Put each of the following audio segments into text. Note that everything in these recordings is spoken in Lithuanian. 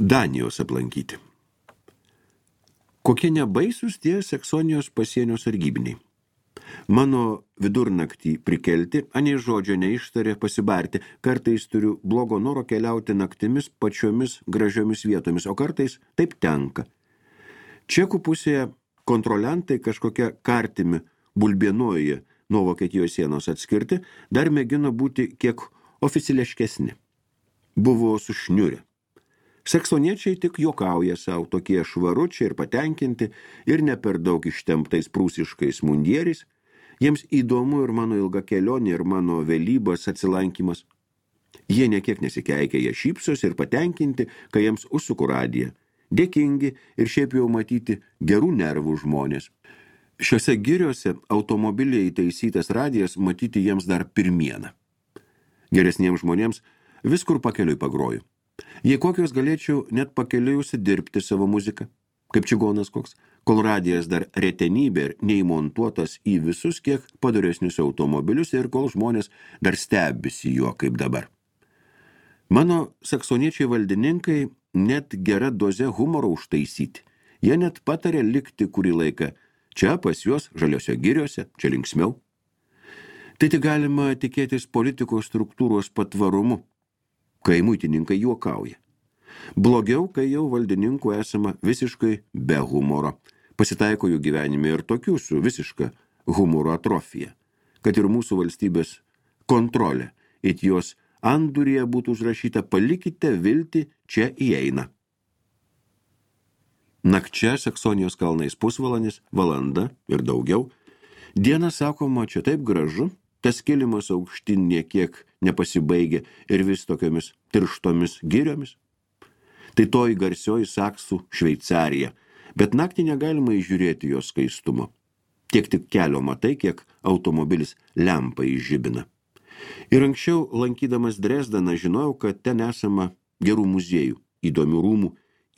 Danijos aplankyti. Kokie nebaisus tie Saksonijos pasienio sargybiniai. Mano vidurnaktį prikelti, anei žodžio neištarė pasibarti, kartais turiu blogo noro keliauti naktimis pačiomis gražiomis vietomis, o kartais taip tenka. Čekų pusėje kontroliantai kažkokia kartimi bulbienoje nuo Vokietijos sienos atskirti, dar mėgino būti kiek oficiališkesni. Buvo sušniurę. Saksoniečiai tik juokauja savo, tokie švaručiai ir patenkinti ir ne per daug ištemptais prūsiškais mundieriais. Jiems įdomu ir mano ilga kelionė, ir mano vėlybos atsilankymas. Jie niekiek nesikeikia, jie šypsos ir patenkinti, kai jiems užsuku radiją. Dėkingi ir šiaip jau matyti gerų nervų žmonės. Šiuose giriuose automobiliai įtaisytas radijas matyti jiems dar pirmieną. Geresniems žmonėms viskur pakeliui pagroju. Jei kokios galėčiau net pakeliui užsidirbti savo muziką, kaip čigonas koks, kol radijas dar retenybė ir neįmontuotas į visus kiek padoresnius automobilius ir kol žmonės dar stebisi juo kaip dabar. Mano saksoniečiai valdininkai net gera doze humoro užtaisyti. Jie net patarė likti kurį laiką čia pas juos žaliose giriuose, čia linksmiau. Tai tik galima tikėtis politikos struktūros patvarumu, kai muitininkai juokauja. Blogiau, kai jau valdininkų esama visiškai be humoro. Pasitaiko jų gyvenime ir tokių su visiška humoro atrofija, kad ir mūsų valstybės kontrolė, it jos andurėje būtų užrašyta palikite viltį, čia įeina. Nakčia Saksonijos kalnais pusvalandis, valanda ir daugiau. Diena sakoma, čia taip gražu, tas kilimas aukštin niekiek nepasibaigė ir vis tokiamis tirštomis giriomis. Tai toji garsioji Saksų Šveicarija, bet naktį negalima įžiūrėti jos skaistumo. Tiek tik kelio matai, kiek automobilis lempą įžibina. Ir anksčiau, lankydamas Dresdeną, žinojau, kad ten esama gerų muziejų, įdomių rūmų,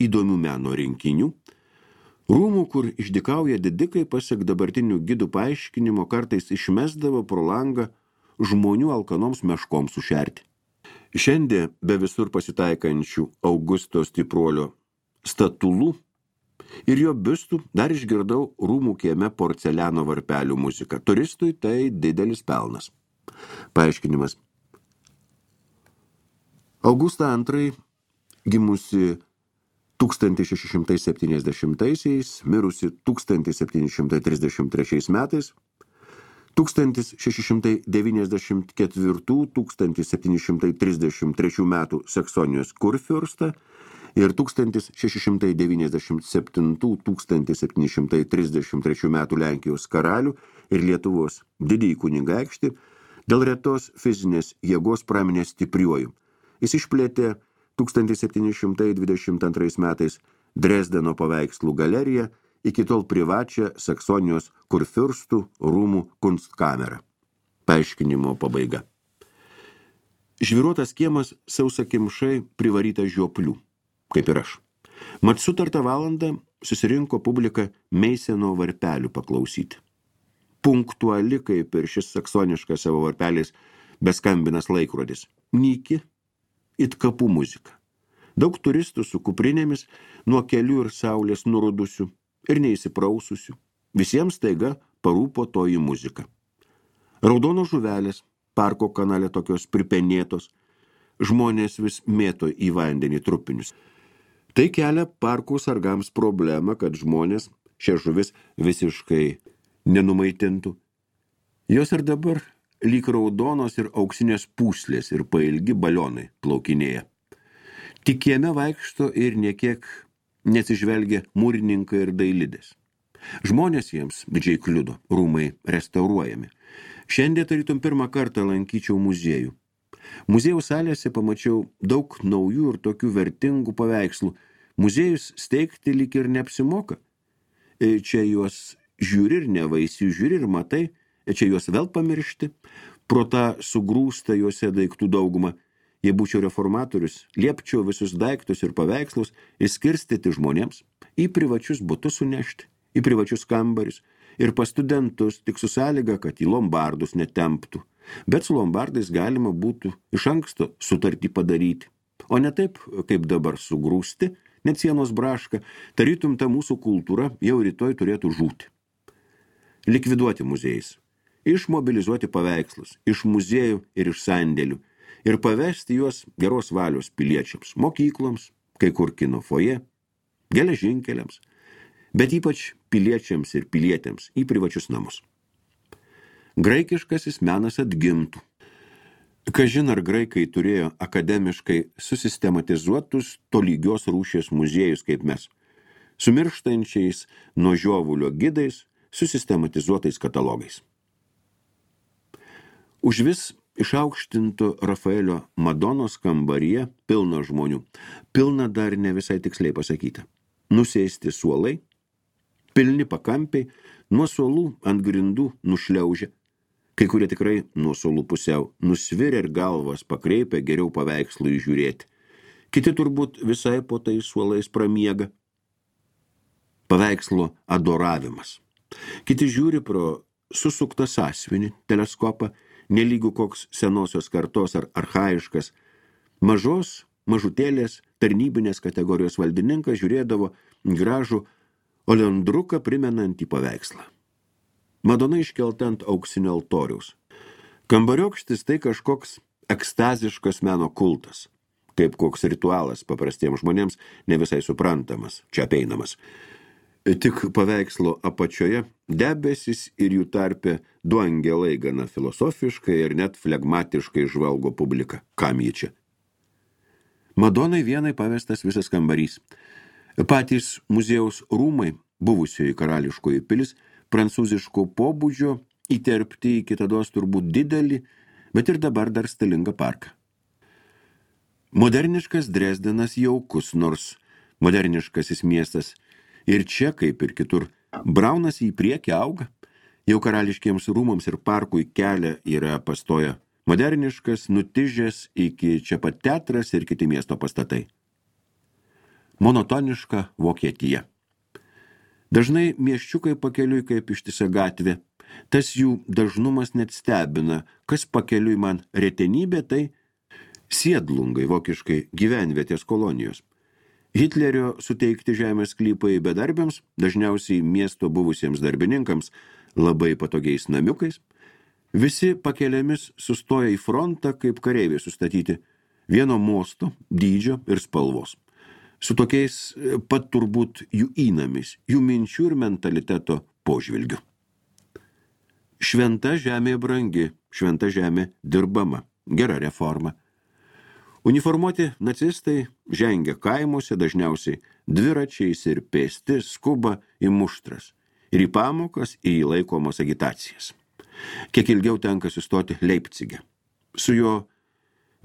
įdomių meno rinkinių. Rūmų, kur išdykauja didikai, pasak dabartinių gidų paaiškinimo, kartais išmesdavo pro langą žmonių alkanoms meškoms sušerti. Šiandien be visur pasitaikančių Augusto Stipruolio statulų ir jo biustų dar išgirdau rūmų kieme porceliano varpelių muziką. Turistui tai didelis pelnas. Paaiškinimas. Augusta II, gimusi 1670-aisiais, mirusi 1733 metais, 1694-1733 metų Saksonijos kurfiurstą ir 1697-1733 metų Lenkijos karalių ir Lietuvos didįjį kunigaikštį dėl retos fizinės jėgos praminė stipriuoju. Jis išplėtė 1722 metais Dresdeno paveikslų galeriją, iki tol privačią Saksonijos kurfiurstų rūmų kunstkamerą. Paaiškinimo pabaiga. Žvyruotas kiemas sausakimšai privarytas žioplių, kaip ir aš. Mat sutartą valandą susirinko publika Meiseno varpelių paklausyti. Punktuali, kaip ir šis saksoniškas savo varpeliais beskambinas laikrodis. Nyki, it kapų muzika. Daug turistų su kuprinėmis nuo kelių ir saulės nurudusių ir neįsipraususių. Visiems taiga parūpo toji muzika. Raudonos žuvelės, parko kanale tokios pripenėtos, žmonės vis mėto į vandenį trupinius. Tai kelia parkų sargams problemą, kad žmonės šią žuvis visiškai nenumaitintų. Jos ir dabar lyg raudonos ir auksinės pūslės ir pailgi balionai plaukinėja. Tik kieme vaikšto ir niekiek nesižvelgia mūrininkai ir dailidės. Žmonės jiems didžiai kliudo, rūmai restauruojami. Šiandien tarytum pirmą kartą lankyčiau muziejų. Muziejaus salėse pamačiau daug naujų ir tokių vertingų paveikslų. Muziejus steigti lyg ir neapsimoka. Čia juos žiūri ir nevaisi, žiūri ir matai, čia juos vėl pamiršti. Pro tą sugrūsta juose daiktų daugumą. Jei būčiau reformatorius, liepčiau visus daiktus ir paveikslus išskirstyti žmonėms, į privačius butus sunešti, į privačius kambarius ir pas studentus tik su sąlyga, kad į lombardus netemptų. Bet su lombardais galima būtų iš anksto sutartį padaryti. o ne taip, kaip dabar sugrūsti, net sienos braška, tarytum ta mūsų kultūra jau rytoj turėtų žūti. Likviduoti muziejais, išmobilizuoti paveikslus, iš muziejų ir iš sandėlių, ir pavesti juos geros valios piliečiams, mokykloms, kai kur kino foje, geležinkeliams, bet ypač piliečiams ir pilietėms į privačius namus. Graikiškasis menas atgimtų. Kažin ar graikai turėjo akademiškai susistematizuotus tolygios rūšies muziejus kaip mes, su mirštančiais nuo žiovulio gidais, susistematizuotais katalogais. Užvis išaukštinto Rafaelio Madonos kambaryje pilna žmonių, pilna dar ne visai tiksliai pasakyta. Nusėsti suolai, pilni pakampiai, nuo suolų ant grindų nušliaužia, kai kurie tikrai nuo suolų pusiau nusvirė ir galvas pakreipia geriau paveikslų įžiūrėti. Kiti turbūt visai po tai suolais pramiega. Paveikslo adoravimas. Kiti žiūri pro susuktą sąsiuvinį, teleskopą, nelygų koks senosios kartos ar archaiškas. Mažutėlės tarnybinės kategorijos valdininkas žiūrėdavo gražų olendruką primenantį paveikslą. Madona iškelta ant auksinio altoriaus. Kambariokštis tai kažkoks ekstaziškas meno kultas, kaip koks ritualas paprastiems žmonėms ne visai suprantamas, čia apeinamas. Tik paveikslo apačioje debesis ir jų tarpe du angelai gana filosofiškai ir net flegmatiškai žvalgo publiką. Kam jį čia? Madonai vienai pavestas visas kambarys. Patys muziejaus rūmai, buvusioji karališkoji pilis, prancūziško pobūdžio, įterpti į kitados turbūt didelį, bet ir dabar dar stilingą parką. Moderniškas Dresdenas jaukus, nors moderniškasis miestas ir čia, kaip ir kitur, braunasi į priekį, auga. Jau karališkiems rūmams ir parkui kelią yra pastoja moderniškas, nutižęs iki čia pat teatras ir kiti miesto pastatai. Monotoniška Vokietija. Dažnai miesčiukai pakeliui kaip ištisa gatvė. Tas jų dažnumas net stebina. Kas pakeliui man retenybė, tai siedlungai, vokiškai gyvenvietės kolonijos. Hitlerio suteikti žemės sklypai bedarbiams, dažniausiai miesto buvusiems darbininkams, labai patogiais namiukais. Visi pakeliamis sustoja į frontą, kaip kareiviai sustatyti, vieno mosto, dydžio ir spalvos. Su tokiais pat turbūt jų įnamis, jų minčių ir mentaliteto požvilgiu. Šventa žemė brangi, šventa žemė dirbama, gera reforma. Uniformuoti nacistai žengia kaimuose, dažniausiai dviračiais ir pėsti skuba į muštras ir į pamokas, ir į laikomas agitacijas. Kiek ilgiau tenka sustoti Leipcige. Su jo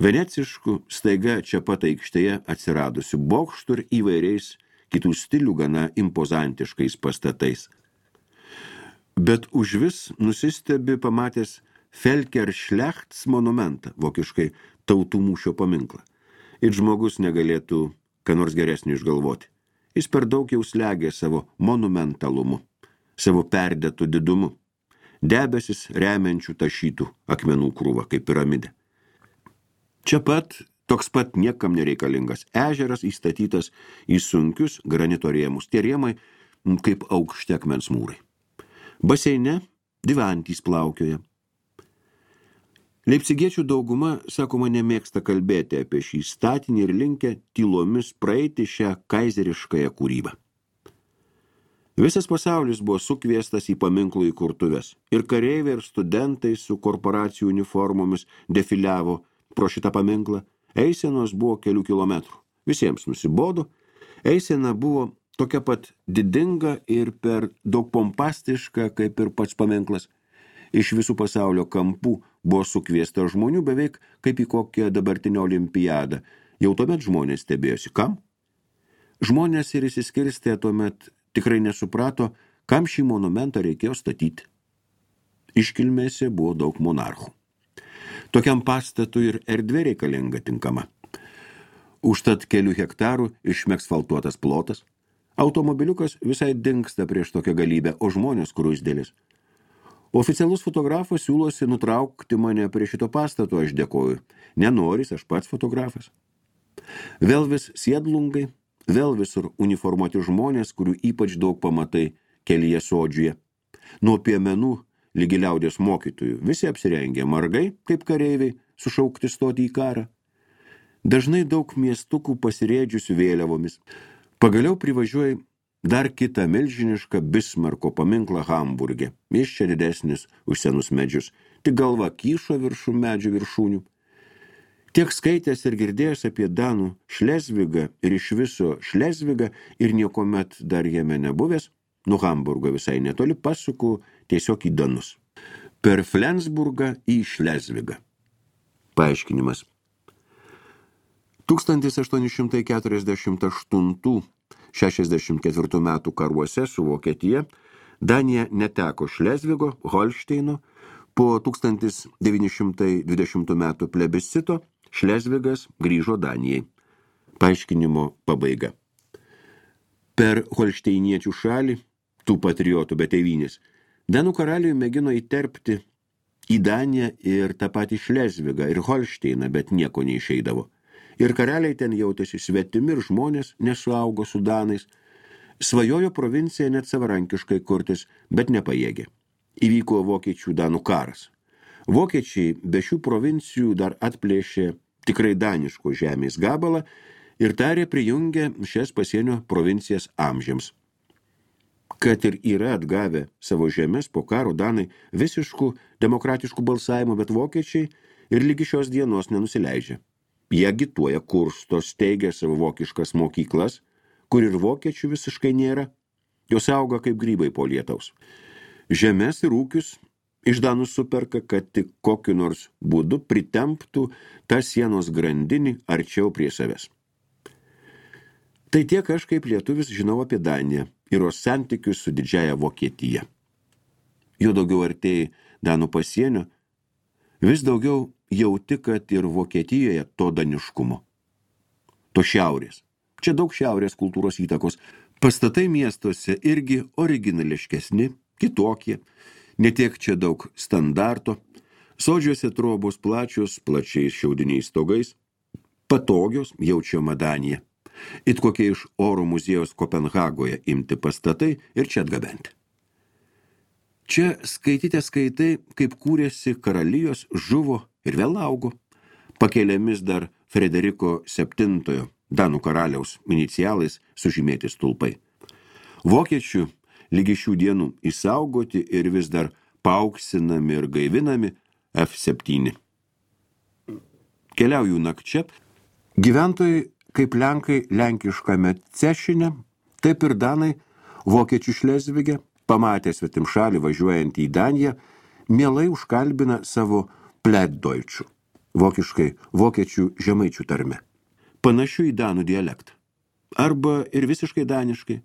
venecišku staiga čia pat aikštėje atsiradusiu bokštu ir įvairiais kitų stilių gana impozantiškais pastatais. Bet užvis nusistebi pamatęs Felkerschlechts monumentą, vokiškai tautų mūšio paminklą. Ir žmogus negalėtų ką nors geresnį išgalvoti. Jis per daug jau slegia savo monumentalumu, savo perdėtų didumu. Debesis remiančių tašytų akmenų krūvą kaip piramidė. Čia pat toks pat niekam nereikalingas ežeras įstatytas į sunkius granito rėmus. Tie rėmai kaip aukšti akmens mūrai. Baseine divantys plaukioja. Leipcigiečių dauguma, sakoma, nemėgsta kalbėti apie šį statinį ir linkę tylomis praeiti šią kaizeriškąją kūrybą. Visas pasaulis buvo sukviestas į paminklų įkurtuves ir kareiviai ir studentai su korporacijų uniformomis defiliavo pro šitą paminklą. Eisenos buvo kelių kilometrų. Visiems nusibodo. Eisena buvo tokia pat didinga ir per daug pompastiška, kaip ir pats paminklas. Iš visų pasaulio kampų buvo sukviesta žmonių beveik kaip į kokią dabartinę olimpiadą. Jau tuomet žmonės stebėjosi. Kam? Žmonės ir įsiskirstė tuomet tikrai nesuprato, kam šį monumentą reikėjo statyti. Iškilmėse buvo daug monarchų. Tokiam pastatui ir erdvė reikalinga tinkama. Užtat kelių hektarų išmeksfaltuotas plotas. Automobiliukas visai dingsta prieš tokią galybę, o žmonės skruzdėlis. Oficialus fotografas siūlosi nutraukti mane prie šito pastato, aš dėkoju. Nenoris, aš pats fotografas. Vėl vis sėdlungai, vėl visur uniformuoti žmonės, kurių ypač daug pamatai kelyje sodžiuje. Nuo piemenų lygi liaudės mokytojų visi apsirengė margai, kaip kareiviai, sušaukti stoti į karą. Dažnai daug miestukų pasirėdžiusių vėliavomis. Pagaliau privažiuoja dar kitą milžinišką Bismarko paminklą Hamburge. Jis čia didesnis už senus medžius, tik galva kyšo viršų medžių viršūnių. Tiek skaitęs ir girdėjęs apie Danų Šlezvigą ir iš viso Šlezvigą ir niekomet dar jame nebuvęs, nuo Hamburgo visai netoli pasuku tiesiog į Danus. Per Flensburgą į Šlezvigą. Paaiškinimas. 1848–64 metų karuose su Vokietija Danija neteko Šlezvigo, Holšteino, po 1920 metų plebiscito Šlezvigas grįžo Danijai. Paaiškinimo pabaiga. Per holšteiniečių šalį, tų patriotų be tėvynės, Danų karaliui mėgino įterpti į Daniją ir tą patį Šlezvigą ir Holšteiną, bet nieko neišeidavo. Ir karaliai ten jautėsi svetimi ir žmonės nesuaugo su Danais. Svajojo provincija net savarankiškai kurtis, bet nepajėgė. Įvyko vokiečių Danų karas. Vokiečiai be šių provincijų dar atplėšė tikrai daniško žemės gabalą ir tarė prijungė šias pasienio provincijas amžiams. Kad ir yra atgavę savo žemės po karo Danai visiškų demokratiškų balsavimų, bet vokiečiai ir lygi šios dienos nenusileidžia. Jie agituoja, kursto, steigia savo vokiškas mokyklas, kur ir vokiečių visiškai nėra. Jos auga kaip grybai po lietaus. Žemės ir ūkius iš Danų superka, kad tik kokiu nors būdu pritemptų tą sienos grandinį arčiau prie savęs. Tai tiek aš kaip lietuvis žinau apie Daniją ir jos santykius su didžiaja Vokietija. Jo daugiau artėjai Danų pasienio, vis daugiau jauti, kad ir Vokietijoje to daniškumo. To šiaurės. Čia daug šiaurės kultūros įtakos. Pastatai miestuose irgi originališkesni, kitokie. Netiek čia daug standarto. Sodžiuose trobos plačios, plačiais šiaudiniais stogais. Patogios, jaučiama Danija. It kokie iš oro muziejaus Kopenhagoje imti pastatai ir čia atgabenti. Čia skaitai, kaip kūrėsi karalijos, žuvo ir vėl augo. Pakeliamis dar Frederiko VII Danų karaliaus inicialais sužymėti stulpai. Vokiečių lygi šių dienų išsaugoti ir vis dar paauksinami ir gaivinami F7. Keliauju nakčia. Gyventojai kaip lenkai lenkiškame Cešine, taip ir Danai vokiečių Šlezvige, pamatę svetimšalį važiuojant į Daniją, mielai užkalbina savo Plattdeutschų, vokiškai vokiečių žemaičių tarme, panašių į danų dialektą. Arba ir visiškai daniškai.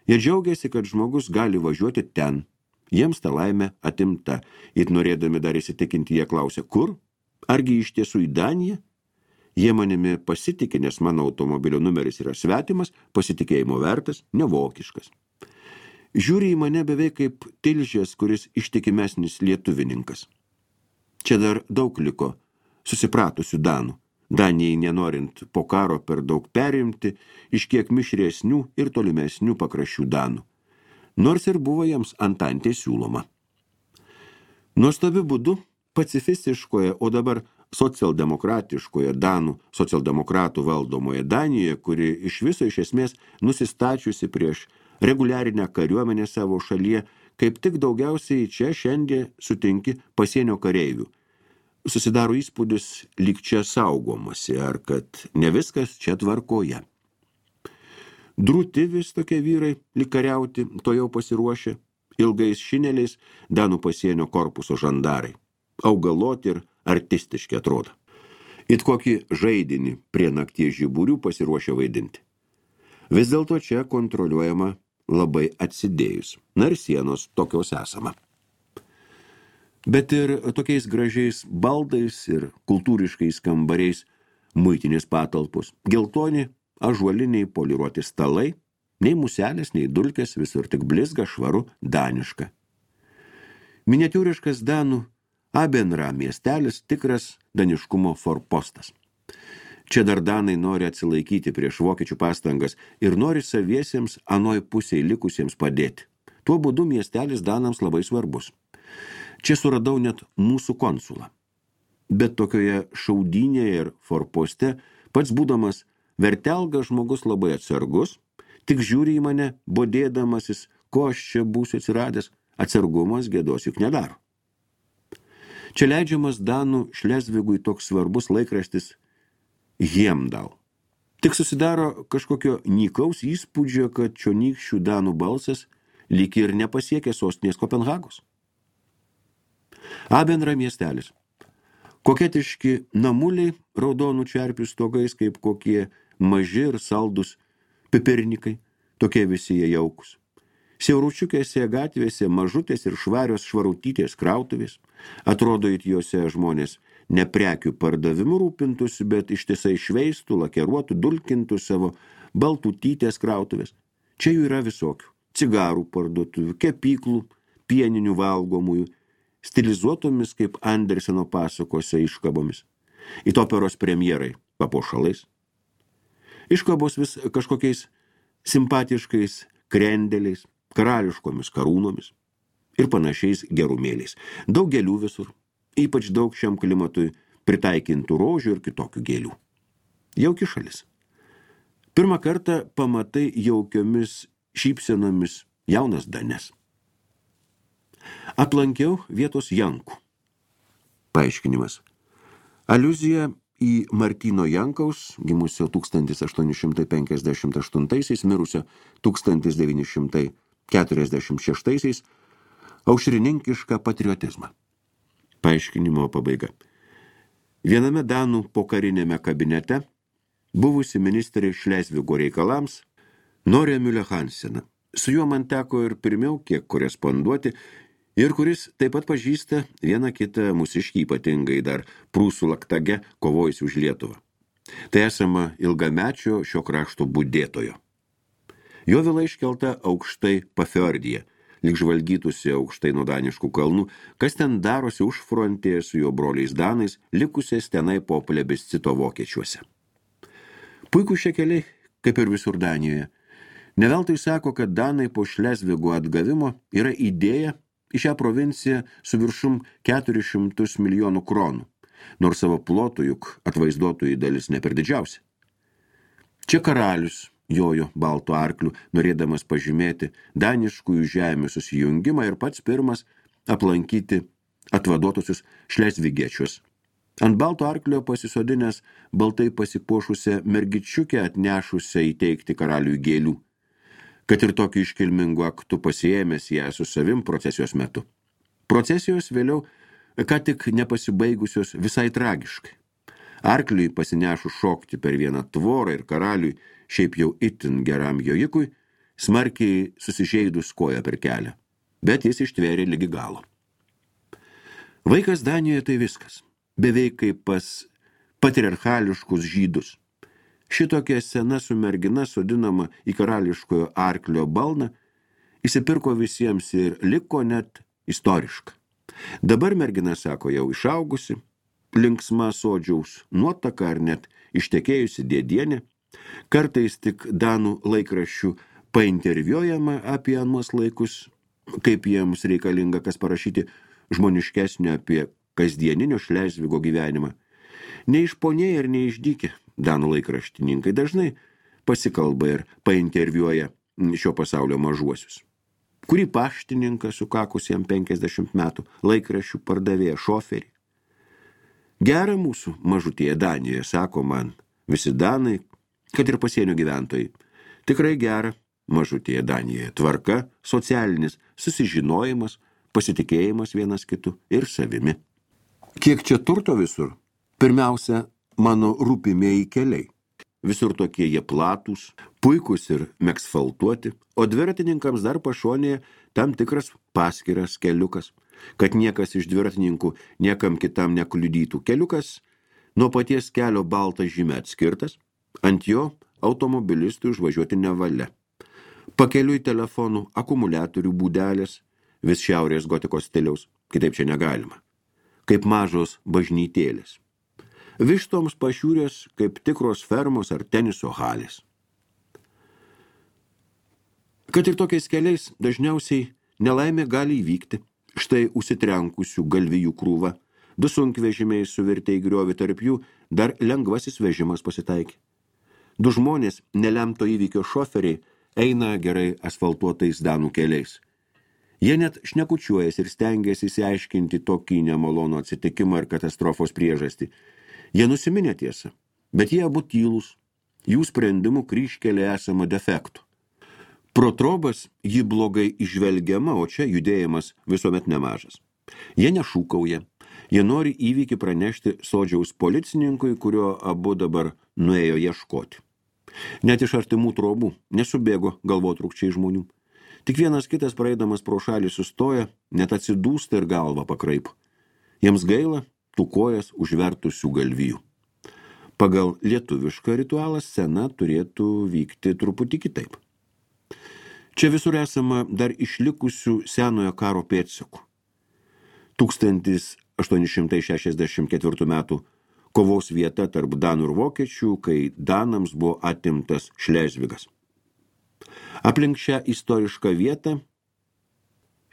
Jie džiaugiasi, kad žmogus gali važiuoti ten. Jiems ta laimė atimta. Ir norėdami dar įsitikinti, jie klausia, kur? Argi iš tiesų į Daniją? Jie manimi pasitikė, nes mano automobilio numeris yra svetimas, pasitikėjimo vertas, nevokiškas. Žiūri į mane beveik kaip tilžės, kuris ištikimesnis lietuvininkas. Čia dar daug liko susipratusių Danų. Danijai nenorint po karo per daug perimti iš kiek mišresnių ir tolimesnių pakraščių Danų. Nors ir buvo jiems antantė siūloma. Nuostabiu būdu pacifistiškoje, o dabar socialdemokratiškoje Danų socialdemokratų valdomoje Danijoje, kuri iš viso iš esmės nusistačiusi prieš reguliarinę kariuomenę savo šalyje, kaip tik daugiausiai čia šiandien sutinki pasienio kareivių. Susidaro įspūdis lyg čia saugomasi, ar kad ne viskas čia tvarkoje. Drūti vis tokie vyrai lyg kariauti, to jau pasiruošę, ilgais šineliais Danų pasienio korpuso žandarai. Augaloti ir artistiški atrodo. It kokį žaidinį prie nakties žiburių pasiruošę vaidinti. Vis dėlto čia kontroliuojama labai atsidėjus. Na ir sienos tokios esama. Bet ir tokiais gražiais baldais ir kultūriškais kambariais muitinės patalpos. Geltoni, ąžuoliniai poliruoti stalai, nei muselės, nei dulkės, visur tik blizga, švaru, daniška. Miniatiūriškas Danų Abenra miestelis, tikras daniškumo forpostas. Čia dar danai nori atsilaikyti prieš vokiečių pastangas ir nori saviesiems anoj pusėje likusiems padėti. Tuo būdu miestelis danams labai svarbus. Čia suradau net mūsų konsulą. Bet tokioje šaudynėje ir forposte, pats būdamas vertelgas žmogus labai atsargus, tik žiūri į mane, bodėdamasis, ko aš čia būsiu atsiradęs, atsargumas gėdos juk nedaro. Čia leidžiamas danų Šlezvigui toks svarbus laikraštis Hemdal. Tik susidaro kažkokio nykaus įspūdžio, kad čionykščių danų balsas lyg ir nepasiekė sostinės Kopenhagos. Abenra miestelis. Koketiški namuliai raudonų čerpių stogais, kaip kokie maži ir saldus pipirnikai, tokie visi jie jaukus. Siauručiukėse gatvėse mažutės ir švarios švarutytės krautuvės, atrodo it juose žmonės ne prekių pardavimu rūpintųsi, bet ištisai šveistų, lakeruotų, dulkintų savo baltutytės krautuvės. Čia jų yra visokių. Cigarų parduotuvių, kepyklų, pieninių valgomųjų, stilizuotomis kaip Anderseno pasakose iškabomis. It operos premjerai papuošalais. Iškabos vis kažkokiais simpatiškais krendeliais, karališkomis karūnomis ir panašiais gerumėliais. Daug gėlių visur, ypač daug šiam klimatui pritaikintų rožių ir kitokių gėlių. Jauki šalis. Pirmą kartą pamatai jaukiomis šypsenomis jaunas danes. Aplankiau vietos Jankų. Paaiškinimas. Aliuzija į Martyno Jankaus, gimusio 1858, mirusio 1946, aušrininkišką patriotizmą. Paaiškinimo pabaiga. Viename danų pokarinėme kabinete buvusi ministrė Šlezvigo reikalams Norė Müller Hanseną. Su juo man teko ir pirmiau kiek koresponduoti ir kuris taip pat pažįsta vieną kitą mūsiškį ypatingai dar prūsų laktage kovojusi už Lietuvą. Tai esama ilgamečio šio krašto budėtojo. Jo vila iškelta aukštai Pafjordyje, lyg žvalgytųsi aukštai nuo daniškų kalnų, kas ten darosi užfrontėje su jo broliais danais, likusiais tenai po plebiscito vokiečiuose. Puikūs šie keliai, kaip ir visur Danijoje. Neveltui sako, kad danai po Šlezvigo atgavimo yra idėja į šią provinciją su viršum 400 milijonų kronų, nors savo plotų juk atvaizduotojų dalis ne per didžiausia. Čia karalius jojo baltų arklių, norėdamas pažymėti daniškųjų žemių susijungimą ir pats pirmas aplankyti atvaduotusius šlezvigiečius. Ant balto arklio pasisodinęs baltai pasipuošusią mergičiukę atnešusią įteikti karaliui gėlių, kad ir tokiu iškilmingu aktu pasiėmęs ją su savim procesijos metu. Procesijos vėliau, ką tik nepasibaigusios visai tragiškai. Arkliui pasinešus šokti per vieną tvorą ir karaliui, šiaip jau itin geram jojikui, smarkiai susižeidus koją per kelią, bet jis ištvėrė ligi galo. Vaikas Danijoje tai viskas, beveik kaip pas patriarchališkus žydus. Šitokia sena su mergina sodinama į karališkojo arklio balną, įsipirko visiems ir liko net istoriška. Dabar mergina, sako, jau išaugusi, linksma sodžiaus nuotaka ar net ištekėjusi dėdienė, kartais tik danų laikraščių painterviuojama apie anuos laikus, kaip jiems reikalinga kas parašyti žmoniškesnio apie kasdieninio Šlezvigo gyvenimą. Neišponėję ir neišdykę danų laikraštininkai dažnai pasikalba ir painterviuoja šio pasaulio mažuosius. Kurį paštininką sukakusiem 50 metų, laikraščių pardavėją, šoferį. Gera mūsų mažutėje Danijoje, sako man visi danai, kad ir pasienio gyventojai. Tikrai gera mažutėje Danijoje. Tvarka, socialinis susižinojimas, pasitikėjimas vienas kitu ir savimi. Kiek čia turto visur? Pirmiausia, mano rūpimieji keliai. Visur tokie jie platūs, puikūs ir meksfaltuoti, o dviratininkams dar pašonėje tam tikras paskiras keliukas, kad niekas iš dviratininkų niekam kitam nekliudytų. Keliukas nuo paties kelio balta žyme atskirtas, ant jo automobilistui užvažiuoti nevalia. Pakeliui telefonų, akumuliatorių būdelės, vis šiaurės gotikos stiliaus, kitaip čia negalima, kaip mažos bažnytėlės. Vištoms pašiūrės kaip tikros fermos ar teniso halės. Kad ir tokiais keliais dažniausiai nelaimė gali įvykti. Štai užsitrenkusių galvijų krūva, 2 sunkvežimiai suvirtė į griovį, tarp jų dar lengvasis vežimas pasitaikė. 2 žmonės, nelemto įvykio šoferiai, eina gerai asfaltuotais danų keliais. Jie net šnekučiuojas ir stengiasi įsiaiškinti tokį nemalonų atsitikimą ir katastrofos priežastį. Jie nusiminė tiesą, bet jie abu tylūs, jų sprendimų kryžkelė esama defektų. Pro trobas ji blogai išvelgiama, o čia judėjimas visuomet nemažas. Jie nešūkauja, jie nori įvykį pranešti sodžiaus policininkui, kurio abu dabar nuėjo ieškoti. Net iš artimų trobų nesubėgo galvotrūkčiai žmonių. Tik vienas kitas praeidamas pro šalį sustoja, net atsidūsta ir galvą pakraipo. Jiems gaila tų kojas užvertusių galvijų. Pagal lietuvišką ritualą scena turėtų vykti truputį kitaip. Čia visur esama dar išlikusių senojo karo pėdsakų. 1864 metų kovos vieta tarp danų ir vokiečių, kai danams buvo atimtas Šlezvigas. Aplink šią istorišką vietą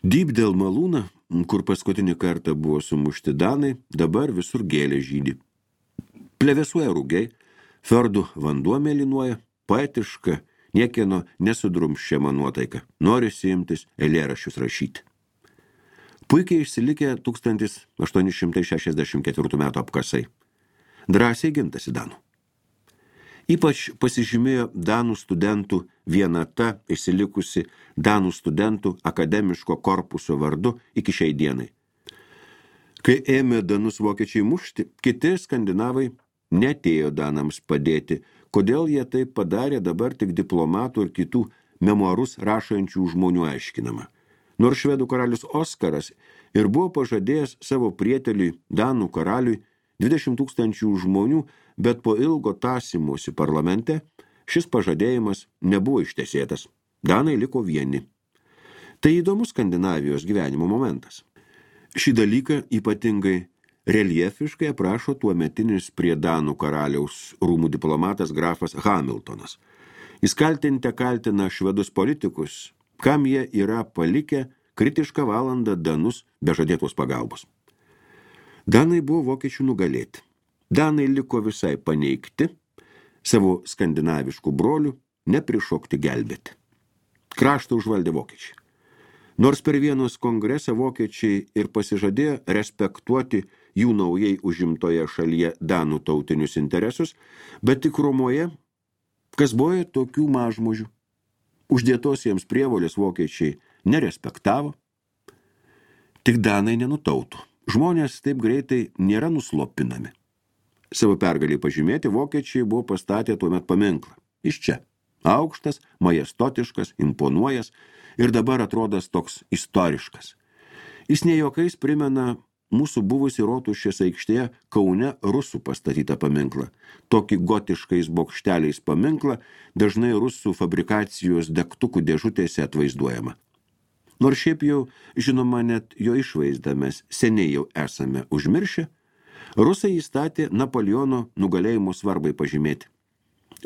Dybdel malūną, kur paskutinį kartą buvo sumušti danai, dabar visur gėlė žydi. Plevėsuoja rūgiai, fjordų vanduo mėlynuoja, poetiška, niekieno nesudrumsčiama nuotaika, norisi imtis eilėraščius rašyti. Puikiai išsilikę 1864 metų apkasai. Drąsiai gintasi danų. Ypač pasižymėjo danų studentų vienata išsilikusi danų studentų akademiško korpuso vardu iki šiai dienai. Kai ėmė danus vokiečiai mušti, kiti skandinavai neatėjo danams padėti. Kodėl jie taip padarė, dabar tik diplomatų ir kitų memuarus rašančių žmonių aiškinama. Nors švedų karalius Oskaras ir buvo pažadėjęs savo prieteliui danų karaliui 20 000 žmonių, bet po ilgo tąsymosi parlamente šis pažadėjimas nebuvo ištesėtas. Danai liko vieni. Tai įdomus Skandinavijos gyvenimo momentas. Šį dalyką ypatingai reljefiškai aprašo tuometinis prie danų karaliaus rūmų diplomatas grafas Hamiltonas. Jis kaltina švedus politikus, kam jie yra palikę kritišką valandą danus be žadėtos pagalbos. Danai buvo vokiečių nugalėti. Danai liko visai paneigti, savo skandinaviškų brolių neprišokti gelbėti. Kraštą užvaldė vokiečiai. Nors per Vienos kongresą vokiečiai ir pasižadėjo respektuoti jų naujai užimtoje šalyje danų tautinius interesus, bet tikrumoje, kas buvo tokių mažmožių. Uždėtos jiems prievolės vokiečiai nerespektavo, tik danai nenutautų. Žmonės taip greitai nėra nuslopinami. Savo pergalį pažymėti vokiečiai buvo pastatę tuomet paminklą. Iš čia. Aukštas, majestotiškas, imponuojas ir dabar atrodas toks istoriškas. Jis ne juokais primena mūsų buvusi Rotušės aikštėje Kaune rusų pastatytą paminklą. Tokį gotiškais bokšteliais paminklą dažnai rusų fabrikacijos degtukų dėžutėse atvaizduojama. Nors šiaip jau, žinoma, net jo išvaizdą mes seniai jau esame užmiršę, rusai įstatė Napoleono nugalėjimo svarbai pažymėti.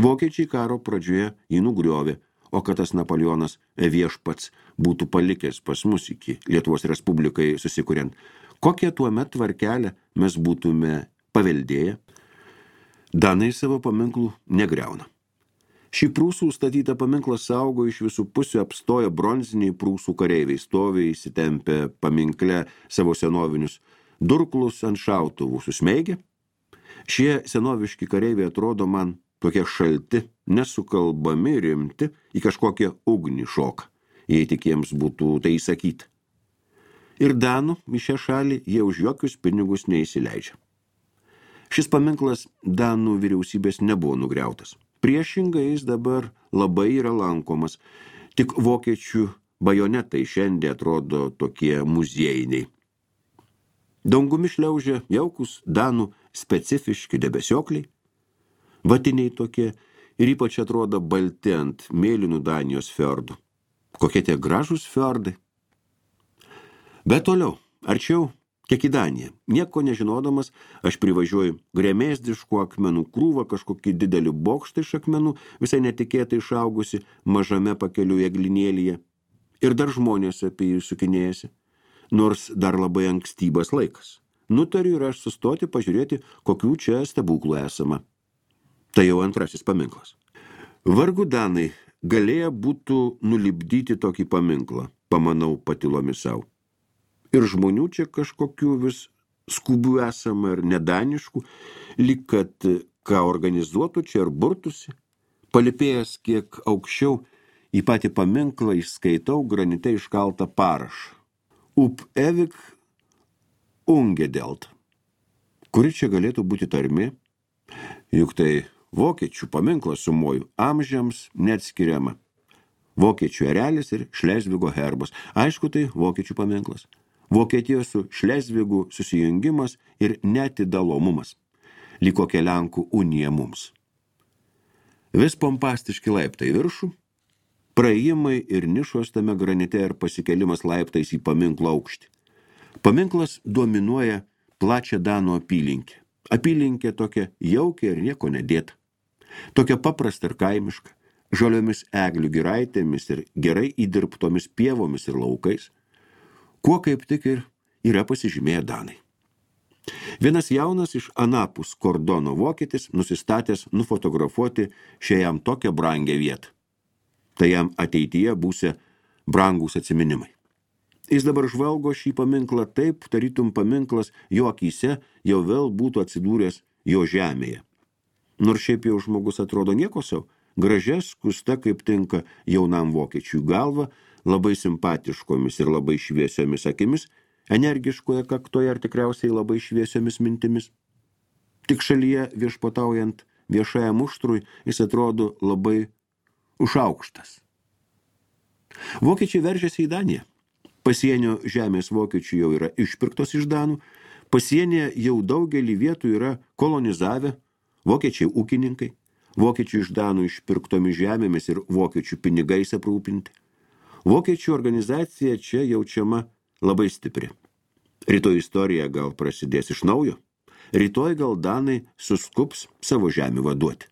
Vokiečiai karo pradžioje jį nugriovė, o kad tas Napoleonas viešpats būtų palikęs pas mus iki Lietuvos Respublikai susikuriant, kokią tuomet tvarkelę mes būtume paveldėję, danai savo paminklų negriauna. Šį prūsų statytą paminklą saugo iš visų pusių apstoja bronziniai prūsų kareiviai, stovi įsitempę paminkle savo senovinius durklus ant šautuvų susmeigia. Šie senoviški kareiviai atrodo man tokie šalti, nesukalbami, rimti, į kažkokią ugnį šoką, jei tik jiems būtų tai įsakyti. Ir danų į šią šalį jie už jokius pinigus neįsileidžia. Šis paminklas danų vyriausybės nebuvo nugriautas. Priešingai jis dabar labai yra lankomas, tik vokiečių bajonetai šiandien atrodo tokie muziejiniai. Dangumi šliaužia jaukus danų specifiški debesiokliai, vatiniai tokie ir ypač atrodo balti ant mėlynų Danijos fjordų. Kokie tie gražūs fjordai. Bet toliau, arčiau Kiek į Daniją. Nieko nežinodamas, aš privažiuoju gremėsdiškų akmenų krūvą, kažkokį didelį bokštą iš akmenų, visai netikėtai išaugusi mažame pakeliu eglinėlyje. Ir dar žmonės apie jį sukinėjasi, nors dar labai ankstybas laikas. Nutariu ir aš sustoti pažiūrėti, kokių čia stebuklų esama. Tai jau antrasis paminklas. Vargu Danai galėję būtų nulipdyti tokį paminklą, pamanau patylomis savo. Ir žmonių čia kažkokių vis skubių esama ir nedaniškų, lyg kad ką organizuotų čia ir burtusi. Palipėjęs kiek aukščiau į patį paminklą išskaitau granite iškaltą parašą. Up evik ungedelt. Kuri čia galėtų būti tarmė? Juk tai vokiečių paminklas sumoju, amžiams neatskiriama. Vokiečių erelis ir Šlezvigo herbas. Aišku, tai vokiečių paminklas. Vokietijos su Šlezvigu susijungimas ir netidalomumas. Lyg kokia Lenkų unija mums. Vis pompastiški laiptai viršų, praėjimai ir nišos tame granite ir pasikelimas laiptais į paminklo aukštį. Paminklas dominuoja plačią Danų apylinkę. Apylinkė tokia jaukia ir nieko nedėta. Tokia paprasta ir kaimiška, žaliomis eglių giraitėmis ir gerai įdirbtomis pievomis ir laukais, kuo kaip tik ir yra pasižymėję Danai. Vienas jaunas iš anapus kordono vokietis nusistatęs nufotografuoti šią jam tokią brangią vietą. Tai jam ateityje būsia brangūs atsiminimai. Jis dabar žvalgo šį paminklą taip, tarytum paminklas jo akyse jau vėl būtų atsidūręs jo žemėje. Nors šiaip jau žmogus atrodo nieko savo, gražia skusta kaip tinka jaunam vokiečiui galva, labai simpatiškomis ir labai šviesiomis akimis, energiškoje kaktoje ar tikriausiai labai šviesiomis mintimis. Tik šalyje viešpataujant viešajam muštrui jis atrodo labai užaukštas. Vokiečiai veržiasi į Daniją. Pasienio žemės vokiečių jau yra išpirktos iš Danų, pasienyje jau daugelį vietų yra kolonizavę vokiečiai ūkininkai, vokiečių iš Danų išpirktomis žemėmis ir vokiečių pinigais aprūpinti. Vokiečių organizacija čia jaučiama labai stipri. Rytoj istorija gal prasidės iš naujo. Rytoj gal Danai suskups savo žemę vaduoti.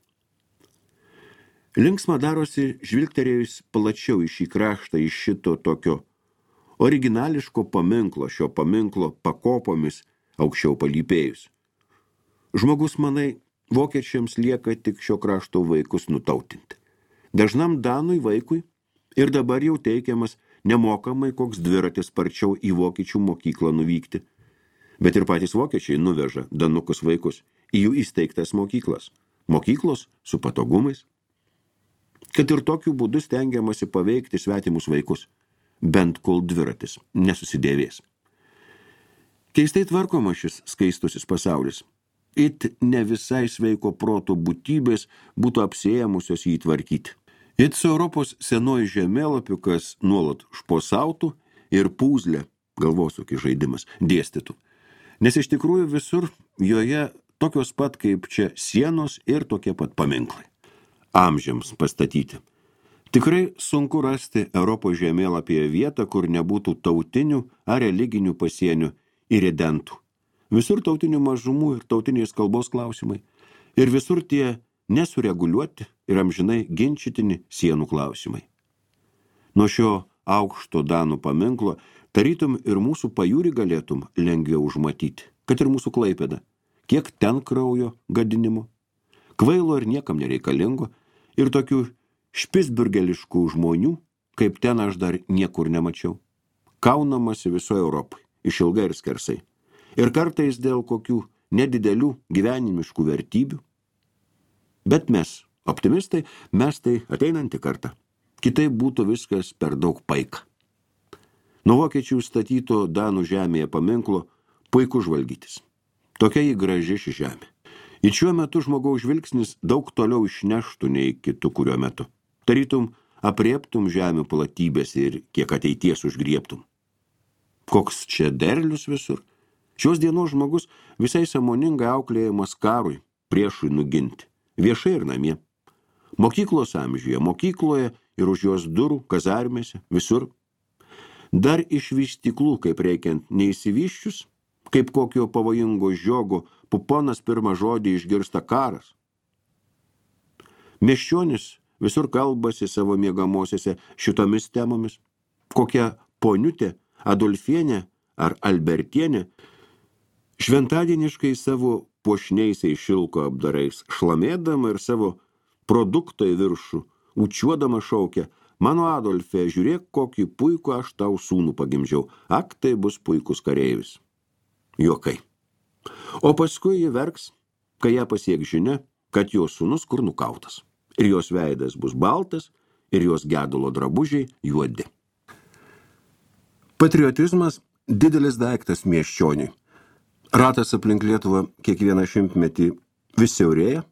Linksma darosi žvilgterėjus plačiau į šį kraštą, iš šito tokio originališko paminklo, šio paminklo pakopomis aukščiau palypėjus. Žmogus, manai, vokiečiams lieka tik šio krašto vaikus nutautinti. Dažnam Danui vaikui ir dabar jau teikiamas nemokamai koks dviratis sparčiau į vokiečių mokyklą nuvykti. Bet ir patys vokiečiai nuveža danukus vaikus į jų įsteigtas mokyklas. Mokyklos su patogumais. Kad ir tokiu būdu stengiamasi paveikti svetimus vaikus, bent kol dviratis nesusidėvės. Keistai tvarkoma šis skaistusis pasaulis. It ne visai sveiko proto būtybės būtų apsiėmusios jį tvarkyti. It su Europos senuoju žemėlapiu, kas nuolat šposautų ir pūzlę, galvosūkį žaidimas, dėstytų. Nes iš tikrųjų visur joje tokios pat kaip čia sienos ir tokie pat paminklai. Amžiams pastatyti. Tikrai sunku rasti Europos žemėlapyje vietą, kur nebūtų tautinių ar religinių pasienių ir redentų. Visur tautinių mažumų ir tautinės kalbos klausimai. Ir visur tie nesureguliuoti ir amžinai ginčytini sienų klausimai. Nuo šio aukšto Danų paminklo tarytum ir mūsų pajūrį galėtum lengviau užmatyti, kad ir mūsų Klaipėda. Kiek ten kraujo gadinimo, kvailo ir niekam nereikalingo, ir tokių špisburgeliškų žmonių, kaip ten aš dar niekur nemačiau. Kaunamasi visoje Europai, išilgai ir skersai. Ir kartais dėl kokių nedidelių gyvenimiškų vertybių. Bet mes, optimistai, mes tai ateinantį kartą. Kitaip būtų viskas per daug paika. Nuo vokiečių statyto Danų žemėje paminklo puiku žvalgytis. Tokia jį graži ši žemė. Ir šiuo metu žmogaus žvilgsnis daug toliau išneštų nei kitų kuriuo metu. Tarytum aprieptum žemių platybės ir kiek ateities užgriebtum. Koks čia derlius visur. Šios dienos žmogus visai sąmoningai auklėjamas karui, priešui nuginti. Viešai ir namie. Mokyklos amžiuje, mokykloje ir už jos durų, kazarmėse, visur. Dar iš vystyklų, kaip reikiant, neįsivyščius, kaip kokio pavojingo žiogo puponas pirmą žodį išgirsta karas. Miesčionis visur kalbasi savo miegamosiose šitomis temomis. Kokia poniutė, Adolfienė ar Albertienė šventadieniškai savo puošniaisiais šilko apdarais šlamėdama ir savo produktą į viršų učiuodama šaukia: mano Adolfė, žiūrėk, kokį puikų aš tau sūnų pagimdžiau. Ak, tai bus puikus kareivis. Juokai. O paskui ji verks, kai ją pasieks žinia, kad jos sūnus kur nukautas. Ir jos veidas bus baltas, ir jos gedulo drabužiai juodi. Patriotizmas didelis daiktas miesčioniui. Ratas aplink Lietuvą kiekvieną šimtmetį vis siaurėja,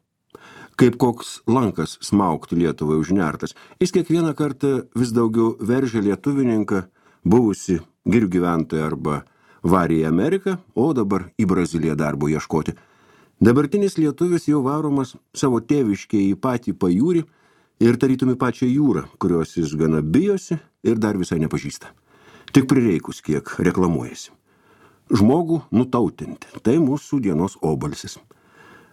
kaip koks lankas smaugti Lietuvai užnertas. Jis kiekvieną kartą vis daugiau veržia lietuvininką, buvusi girių gyventoją arba varė į Ameriką, o dabar į Braziliją darbo ieškoti. Dabartinis lietuvis jau varomas savo tėviškėje į patį pajūrį ir tarytum į pačią jūrą, kurios jis gana bijosi ir dar visai nepažįsta. Tik prireikus kiek reklamuojasi. Žmogų nutautinti, tai mūsų dienos obalsis.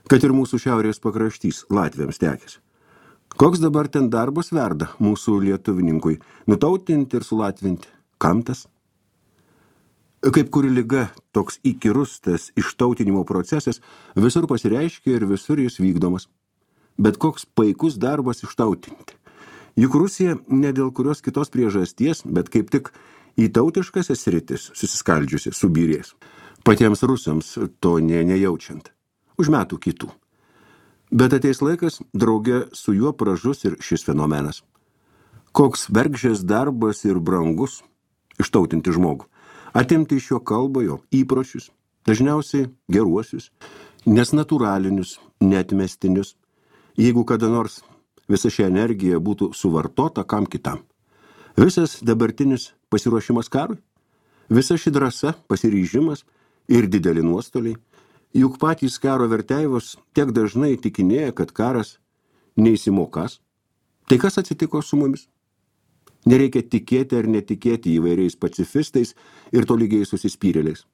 Kad ir mūsų šiaurės pakraštys latviams tekės. Koks dabar ten darbas verda mūsų lietuvininkui, nutautinti ir sulatvinti? Kam tas? Kaip kuri liga, toks įkyrus tas ištautinimo procesas visur pasireiškia ir visur jis vykdomas. Bet koks paikus darbas ištautinti. Juk Rusija ne dėl kurios kitos priežasties, bet kaip tik į tautiškasias sritis susiskaldžiusi subyrės. Patiems rusams to nejaučiant. Už metų kitų. Bet ateis laikas, drauge su juo pražus ir šis fenomenas. Koks bergždžias darbas ir brangus ištautinti žmogų. Atimti iš jo kalbą, jo įpročius, dažniausiai geruosius, nesnaturalinius, neatmestinius. Jeigu kada nors visa ši energija būtų suvartota kam kitam. Visas dabartinis pasiruošimas karui, visa ši drąsa, pasiryžimas ir dideli nuostoliai, juk patys karo verteivos tiek dažnai tikinėja, kad karas neįsimokas. Tai kas atsitiko su mumis? Nereikia tikėti ar netikėti įvairiais pacifistais ir tolygiais susispyrėliais.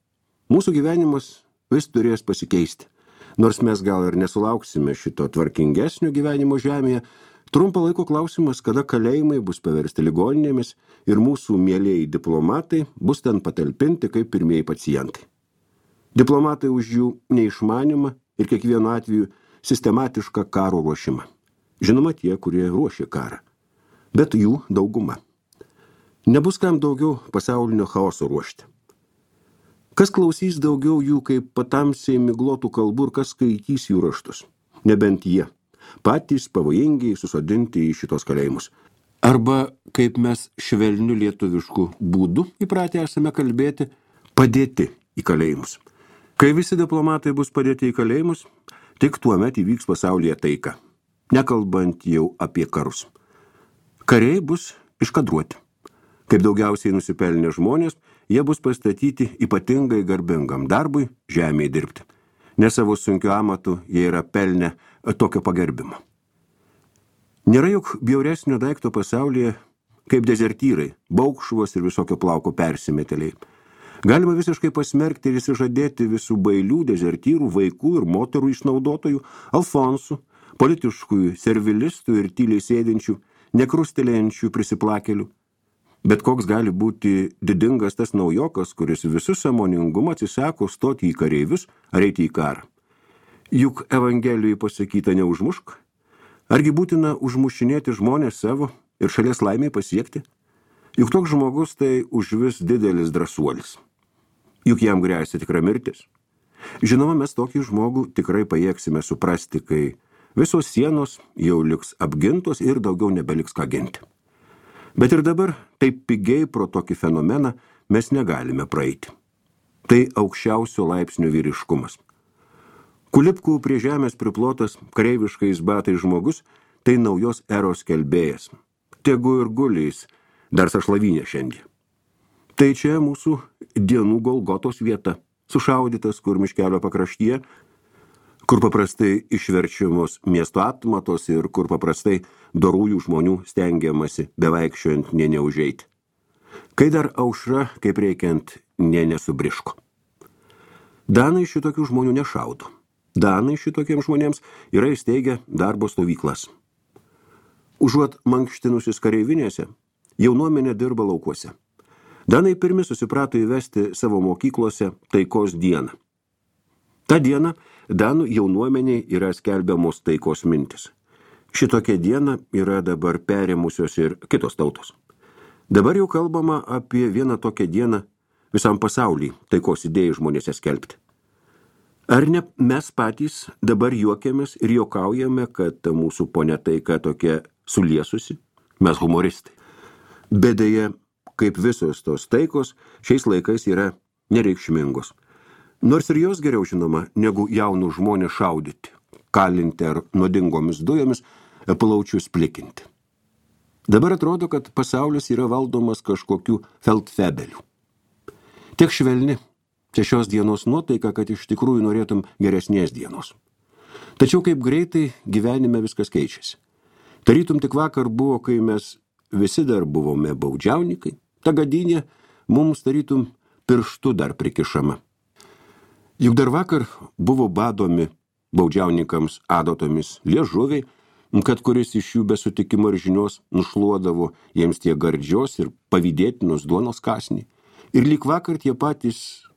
Mūsų gyvenimas vis turės pasikeisti. Nors mes gal ir nesulauksime šito tvarkingesnio gyvenimo žemėje, trumpo laiko klausimas, kada kalėjimai bus paversti ligoninėmis ir mūsų mielieji diplomatai bus ten patalpinti kaip pirmieji pacientai. Diplomatai už jų neišmanimą ir kiekvienu atveju sistematišką karo ruošimą. Žinoma, tie, kurie ruošia karą. Bet jų dauguma. Nebus kam daugiau pasaulinio chaoso ruošti. Kas klausys daugiau jų kaip patamsiai miglotų kalbų ir kas skaitys jų raštus? Nebent jie. Patys pavojingiai susodinti į šitos kalėjimus. Arba, kaip mes švelniu lietuvišku būdu įpratę esame kalbėti, padėti į kalėjimus. Kai visi diplomatai bus padėti į kalėjimus, tik tuomet įvyks pasaulyje taika, nekalbant jau apie karus. Kariai bus iškadruoti. Kaip daugiausiai nusipelnę žmonės, jie bus pastatyti ypatingai garbingam darbui žemėje dirbti. Ne savo sunkiu amatu jie yra pelnę tokio pagerbimo. Nėra juk bjauresnio daikto pasaulyje kaip dezertyrai, baukšvos ir visokio plauko persimetėliai. Galima visiškai pasmerkti ir įsižadėti visų bailių, dezertyrų, vaikų ir moterų išnaudotojų, alfonsų, politiškųjų, servilistų ir tyliai sėdinčių, nekrustelėjančių prisiplakelių. Bet koks gali būti didingas tas naujokas, kuris visų sąmoningumą atsisako stoti į kareivius ar eiti į karą. Juk Evangelijai pasakyta neužmušk. Argi būtina užmušinėti žmonės savo ir šalies laimiai pasiekti? Juk toks žmogus tai užvis didelis drąsuolis. Juk jam gresia tikra mirtis. Žinoma, mes tokį žmogų tikrai pajėgsime suprasti, kai visos sienos jau liks apgintos ir daugiau nebeliks ką ginti. Bet ir dabar taip pigiai pro tokį fenomeną mes negalime praeiti. Tai aukščiausio laipsnio vyriškumas. Kulipkų prie žemės priplotas kareiviškais batais žmogus, tai naujos eros kelbėjas. Tegu ir guliais, dar sašlavinė šiandien. Tai čia mūsų dienų Golgotos vieta, sušaudytas kur miškelio pakraštyje, kur paprastai išverčiamos miesto atmatos ir kur paprastai dorųjų žmonių stengiamasi bevaikščiojant neužeiti. Kai dar aušra, kaip reikiant, nesubriško. Danai šitokių žmonių nešaudo. Danai šitokiems žmonėms yra įsteigę darbo stovyklas. Užuot mankštinusis kareivinėse, jaunuomenė dirba laukuose. Danai pirmi susiprato įvesti savo mokyklose taikos dieną. Ta diena Danų jaunuomeniai yra skelbiamos taikos mintis. Šitokia diena yra dabar perėmusios ir kitos tautos. Dabar jau kalbama apie vieną tokią dieną visam pasaulyje taikos idėjai žmonėse skelbti. Ar ne mes patys dabar juokiamės ir juokaujame, kad ta mūsų ponia taika tokia suliesusi? Mes humoristai. Bet deja, kaip visos tos taikos, šiais laikais yra nereikšmingos. Nors ir jos geriau žinoma, negu jaunų žmonės šaudyti, kalinti ar nuodingomis dujomis plaučius plikinti. Dabar atrodo, kad pasaulis yra valdomas kažkokių feldfebelių. Tiek švelni čia šios dienos nuotaika, kad iš tikrųjų norėtum geresnės dienos. Tačiau kaip greitai gyvenime viskas keičiasi. Tarytum tik vakar buvo, kai mes visi dar buvome baudžiaunikai, ta gadynė mums tarytum pirštu dar prikišama. Juk dar vakar buvo badomi baudžiaunikams adatomis liežuviai, kad kuris iš jų be sutikimo ir žinios nušluodavo jiems tie gardžios ir pavydėtinos duonos kąsnį. Ir lyg vakar tie patys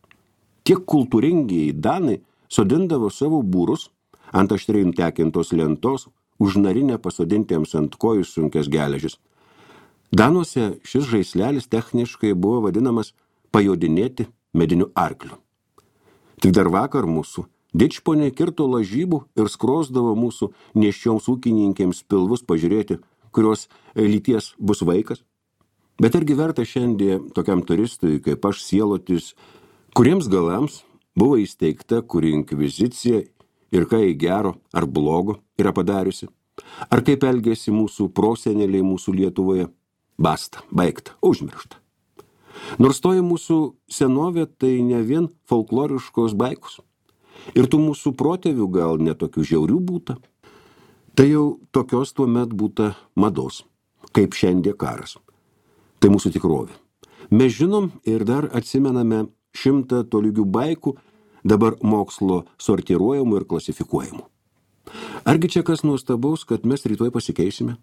tiek kultūringiai danai sodindavo savo būrus ant aštriai nutekintos lentos, už narinę pasodintiems ant kojų sunkės geležis. Danuose šis žaislelis techniškai buvo vadinamas pajodinėti mediniu arkliu. Tik dar vakar mūsų dičponiai kirto lažybų ir skrosdavo mūsų nėščioms ūkininkėms pilvus pažiūrėti, kurios lyties bus vaikas. Bet argi verta šiandien tokiam turistui, kaip aš, sielotis, kuriems galams buvo įsteigta kuri inkvizicija ir ką į gero ar blogo yra padariusi? Ar kaip elgėsi mūsų proseneliai mūsų Lietuvoje? Basta, baigta, užmiršta. Nors toji mūsų senovė tai ne vien folkloriškos baikos. Ir tų mūsų protėvių gal netokių žiaurių būta. Tai jau tokios tuomet būta mados, kaip šiandien karas. Tai mūsų tikrovė. Mes žinom ir dar atsimename 100 tolygių baikų, dabar mokslo sortiruojamų ir klasifikuojamų. Argi čia kas nuostabaus, kad mes rytoj pasikeisime?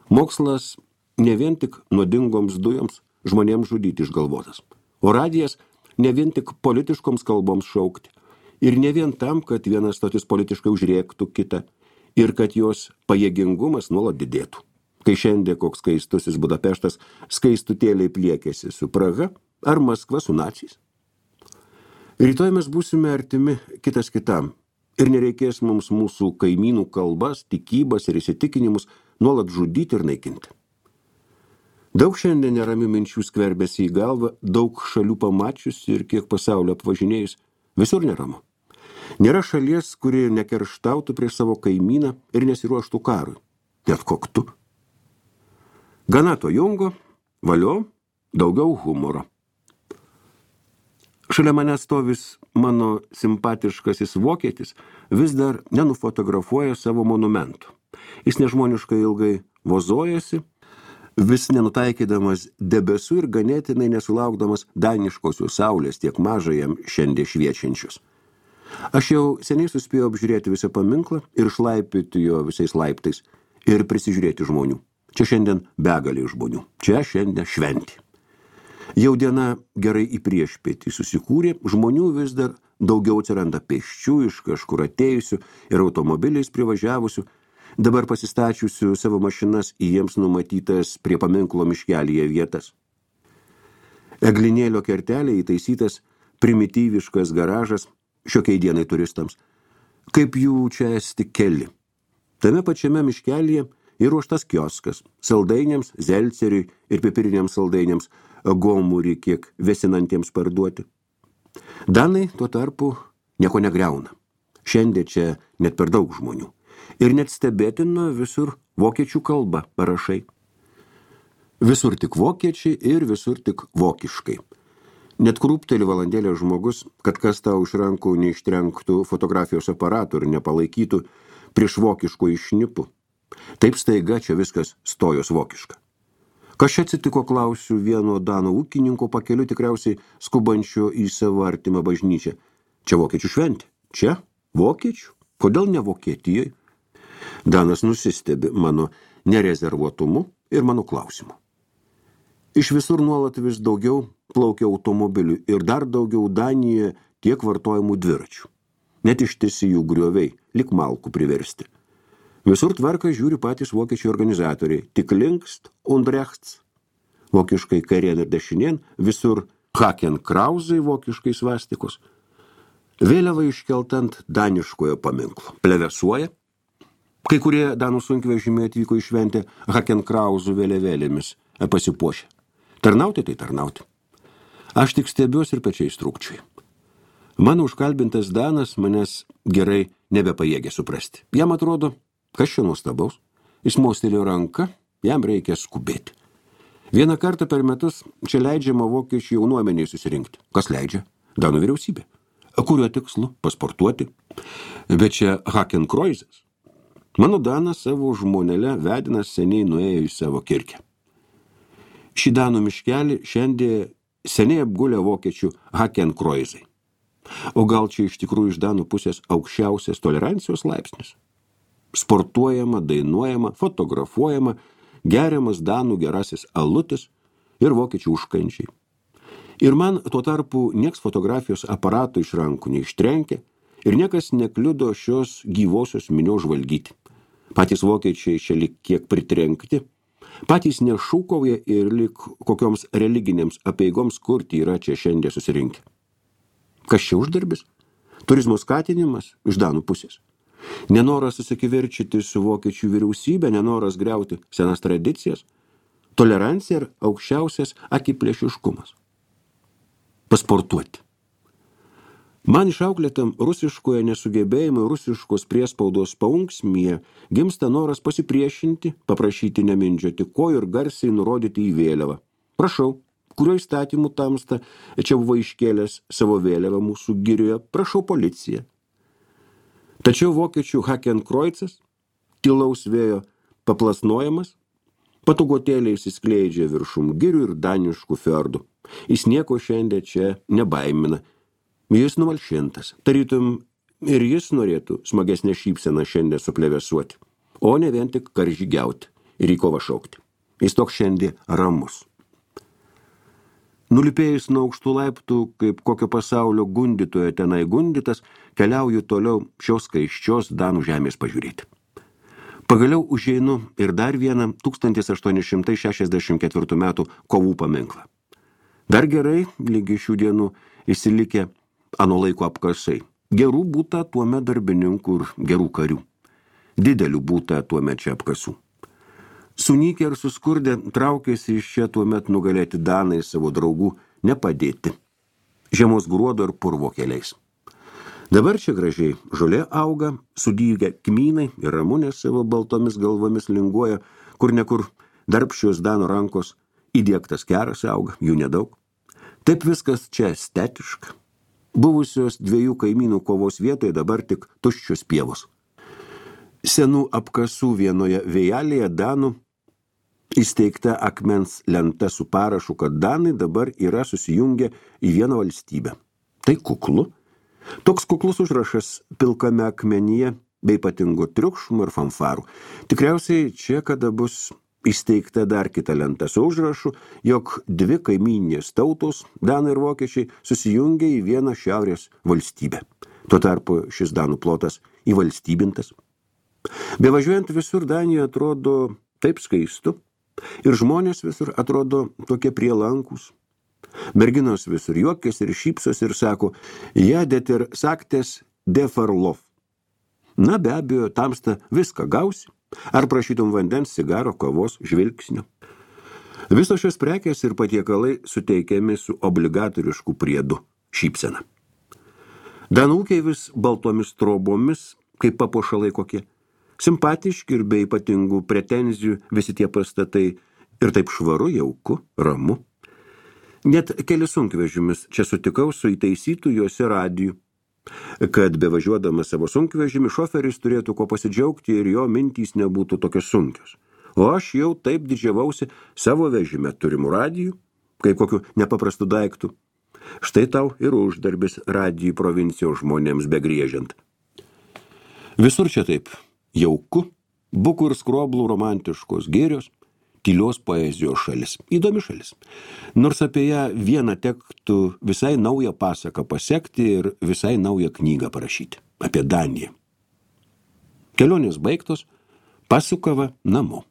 Mokslas ne vien tik nuodingoms dujoms žmonėms žudyti išgalvotas, o radijas ne vien tik politiškoms kalboms šaukti, ir ne vien tam, kad viena stotis politiškai užrėktų kitą, ir kad jos pajėgingumas nuolat didėtų. Kai šiandien koks skaistusis Budapeštas skaistutėliai pliekėsi su Praha ar Maskva su naciais. Rytoj mes būsime artimi kitas kitam, ir nereikės mums mūsų kaimynų kalbas, tikybas ir įsitikinimus nuolat žudyti ir naikinti. Daug šiandien neramių minčių skverbėsi į galvą, daug šalių pamačius ir kiek pasaulio apvažinėjus, visur neramu. Nėra šalies, kuri nekerštautų prieš savo kaimyną ir nesiruoštų karui. Net koktu. Gana to jungo, valio, daugiau humoro. Šalia manęs stovis mano simpatiškasis vokietis vis dar nenufotografuoja savo monumentų. Jis nežmoniškai ilgai vozojasi, vis nenutaikydamas debesų ir ganėtinai nesulaukdamas daniškosios saulės tiek mažai jam šiandien šviečiančius. Aš jau seniai suspėjau apžiūrėti visą paminklą ir šlaipyti jo visais laiptais ir prisižiūrėti žmonių. Čia šiandien begalė žmonių. Čia šiandien šventė. Jau diena gerai į priešpietį susikūrė, žmonių vis dar daugiau atsiranda pėsčių iš kažkur atėjusių ir automobiliais privažiavusių, dabar pasistačiusių savo mašinas į jiems numatytas prie paminklo miškelyje vietas. Eglinėlio kertelė įtaisytas primityviškas garažas šiokiai dienai turistams. Kaip jų čia esti keli. Tame pačiame miškelyje įruoštas kioskas saldainiams, zelceriui ir pipiriniams saldainiams, gomurį kiek vėsinantiems parduoti. Danai tuo tarpu nieko negriauna. Šiandien čia net per daug žmonių. Ir net stebėtina visur vokiečių kalba parašai. Visur tik vokiečiai ir visur tik vokiškai. Net krūpteli valandėlė žmogus, kad kas tau iš rankų neištrenktų fotografijos aparatų ir nepalaikytų prieš vokiškų išnipų. Taip staiga čia viskas stojos vokiška. Kas čia atsitiko, klausiu vieno danų ūkininko pakeliu tikriausiai skubančio į savo artimą bažnyčią. Čia vokiečių šventė. Čia? Vokiečių? Kodėl ne Vokietijoje? Danas nusistebi mano nerezervuotumu ir mano klausimu. Iš visur nuolat vis daugiau plaukia automobilių ir dar daugiau Danijoje tiek vartojamų dviračių. Net ištisi jų grioviai, lik malkų priversti. Visur tvarką žiūri patys vokiečių organizatoriai, tik linkst und rechts, vokiškai kairien ir dešinien, visur Hakenkrauzai, vokiškai svastikos. Vėliava iškeltant daniškojo paminklo. Plevesuoja. Kai kurie danų sunkvežimiai atvyko į šventę Hakenkrauzų vėliavėlėmis pasipuošę. Tarnauti tai tarnauti. Aš tik stebiuosi ir pečiais trūkčiai. Mano užkalbintas Danas manęs gerai nebepajėgė suprasti. Jam atrodo, kas čia nuostabaus. Jis mostelėjo ranką, jam reikia skubėti. Vieną kartą per metus čia leidžiama vokiečių jaunuomeniai susirinkti. Kas leidžia? Danų vyriausybė. Kuriuo tikslu? Pasportuoti. Bet čia Hakenkreuzas. Mano Danas savo žmonelę vedinas seniai nuėjo į savo kirkę. Šį Danų miškelį šiandien seniai apgulė vokiečių Hakenkreuzai. O gal čia iš tikrųjų iš Danų pusės aukščiausias tolerancijos laipsnis? Sportuojama, dainuojama, fotografuojama, geriamas Danų gerasis alutis ir vokiečių užkančiai. Ir man tuo tarpu nieks fotografijos aparato iš rankų neištrenkia ir niekas nekliudo šios gyvosios minios žvalgyti. Patys vokiečiai čia lik kiek pritrenkti, patys nešūkauja ir lik kokioms religinėms apeigoms kurti yra čia šiandien susirinkę. Kas čia uždarbis? Turizmo skatinimas iš Danų pusės. Nenoras susikivirčyti su vokiečių vyriausybė, nenoras griauti senas tradicijas, tolerancija ir aukščiausias akiplėšiškumas. Pasportuoti. Man išauklėtam rusiškoje nesugebėjimo rusiškos priespaudos paunksmyje gimsta noras pasipriešinti, paprašyti nemindžioti kojų ir garsiai nurodyti į vėliavą. Prašau, kurio įstatymų tamsta čia buvo iškėlęs savo vėliavą mūsų girioje, prašau policiją. Tačiau vokiečių Hakenkreuzas, tylaus vėjo paplasnojamas, patogotėliai įsiskleidžia viršum girių ir daniškų fiordų. Jis nieko šiandien čia nebaimina. Jis numalšintas. Tarytum ir jis norėtų smagesnę šypseną šiandien suplevesuoti, o ne vien tik karžygiauti ir į kovą šaukti. Jis toks šiandien ramus. Nulipėjus nuo aukštų laiptų, kaip kokio pasaulio gundytojo tenai gundytas, keliauju toliau šios skaiščios Danų žemės pažiūrėti. Pagaliau užeinu ir dar vieną 1864 metų kovų paminklą. Dar gerai, lygi šių dienų, įsilikę ano laiko apkasai. Gerų būta tuomet darbininkų ir gerų karių. Didelių būta tuomet čia apkasų. Sunykę ir suskurdę traukėsi iš čia tuomet nugalėti Danai savo draugų nepadėti. Žiemos gruodo ir purvo keliais. Dabar čia gražiai žolė auga, sudygę kmynai ir ramunės savo baltomis galvomis linguoja, kur nekur darbščios Danų rankos įdiegtas keras auga, jų nedaug. Taip viskas čia estetiška. Buvusios dviejų kaimynų kovos vietoje dabar tik tuščios pievos. Senų apkasų vienoje vėjelėje Danų įsteigta akmens lenta su parašu, kad Danai dabar yra susijungę į vieną valstybę. Tai kuklu. Toks kuklus užrašas pilkame akmenyje bei ypatingo triukšmo ir fanfarų. Tikriausiai čia kada bus įsteigta dar kita lenta su užrašu, jog dvi kaimynės tautos, Danai ir vokiečiai, susijungia į vieną šiaurės valstybę. Tuo tarpu šis Danų plotas įvalstybintas. Bevažiuojant visur Danijoje atrodo taip skaistu ir žmonės visur atrodo tokie prielankus. Merginos visur juokės ir šypsos ir sako, ja det ir saktės de farlov. Na be abejo, tamsta viską gausi. Ar prašytum vandens, cigaro, kavos, žvilgsnio. Visos šios prekės ir patiekalai suteikiami su obligatorišku priedu šypsena. Danų ūkiai vis baltomis trobomis, kaip papuošalai kokie. Simpatiški ir be ypatingų pretenzijų visi tie pastatai ir taip švaru, jauku, ramu. Net kelis sunkvežimis čia sutikau su įtaisytų juose radijų, kad bevažiuodamas savo sunkvežimį šoferis turėtų ko pasidžiaugti ir jo mintys nebūtų tokios sunkios. O aš jau taip didžiavausi savo vežime turimų radijų, kaip kokiu nepaprastu daiktų. Štai tau ir uždarbis radijų provincijos žmonėms begriežiant. Visur čia taip jauku, bukų ir skroblų romantiškos gėrios, tylios poezijos šalis. Įdomi šalis. Nors apie ją vieną tektų visai naują pasaką pasekti ir visai naują knygą parašyti. Apie Daniją. Kelionės baigtos, pasukava namo.